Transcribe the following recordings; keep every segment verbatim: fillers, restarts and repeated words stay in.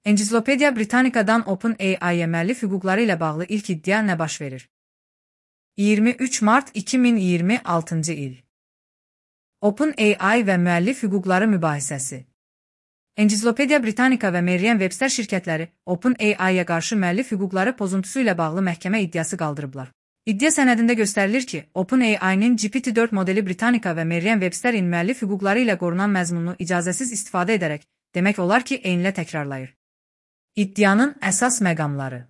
Encyclopedia Britannica'dan OpenAI'ye müəllif hüquqları ilə bağlı ilk iddia nə baş verir? iyirmi üç mart iki min iyirmi altıncı il. OpenAI və müəllif hüquqları mübahisəsi. Encyclopedia Britannica və Merriam-Webster şirkətləri OpenAI-yə qarşı müəllif hüquqları pozuntusu ilə bağlı məhkəmə iddiası qaldırıblar. İddia sənədində göstərilir ki, OpenAI-nin G P T dörd modeli Britannica və Merriam-Websterin müəllif hüquqları ilə qorunan məzmununu icazəsiz istifadə edərək, demək olar ki, eynilə təkrarlayır. İddianın əsas məqamları.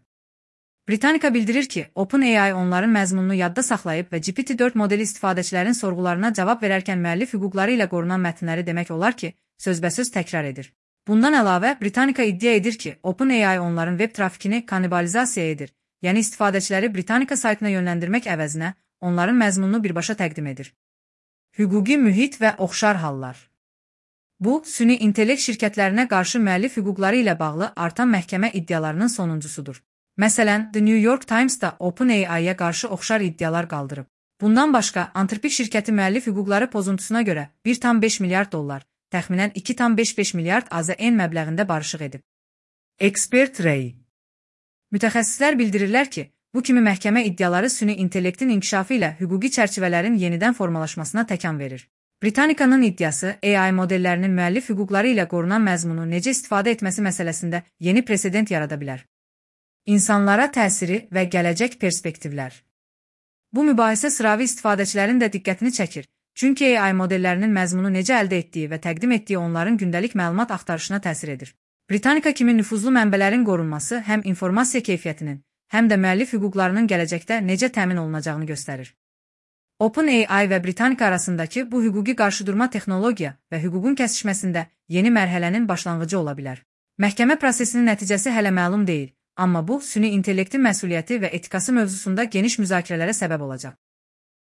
Britannica bildirir ki, OpenAI onların məzmununu yadda saxlayıb və G P T dörd modeli istifadəçilərin sorğularına cavab verərkən müəllif hüquqları ilə qorunan mətnləri demək olar ki, sözbəsöz təkrar edir. Bundan əlavə, Britannica iddia edir ki, OpenAI onların web trafikini kannibalizasiya edir, yəni istifadəçiləri Britannica saytına yönləndirmək əvəzinə onların məzmununu birbaşa təqdim edir. Hüquqi mühit və oxşar hallar. Bu, süni intellekt şirkətlərinə qarşı müəllif hüquqları ilə bağlı artan məhkəmə iddialarının sonuncusudur. Məsələn, The New York Times da OpenAI-yə qarşı oxşar iddialar qaldırıb. Bundan başqa, Anthropic şirkəti müəllif hüquqları pozuntusuna görə bir tam beş milyard dollar, təxminən iki tam beş beş milyard A Z N məbləğində barışıq edib. Expert Ray. Mütəxəssislər bildirirlər ki, bu kimi məhkəmə iddiaları süni intellektin inkişafı ilə hüquqi çərçivələrin yenidən formalaşmasına təkan verir. Britannica'nın iddiası A I modellərinin müəllif hüquqları ilə qorunan məzmunu necə istifadə etməsi məsələsində yeni presedent yarada bilər. İnsanlara təsiri və gələcək perspektivlər. Bu mübahisə sıravi istifadəçilərin də diqqətini çəkir, çünki A I modellərinin məzmunu necə əldə etdiyi və təqdim etdiyi onların gündəlik məlumat axtarışına təsir edir. Britannica kimi nüfuzlu mənbələrin qorunması həm informasiya keyfiyyətinin, həm də müəllif hüquqlarının gələcəkdə necə təmin olunacağını göstərir. OpenAI və Britannica arasındakı bu hüquqi qarşıdurma texnologiya və hüququn kəsişməsində yeni mərhələnin başlanğıcı ola bilər. Məhkəmə prosesinin nəticəsi hələ məlum deyil, amma bu, süni intellektin məsuliyyəti və etikası mövzusunda geniş müzakirələrə səbəb olacaq.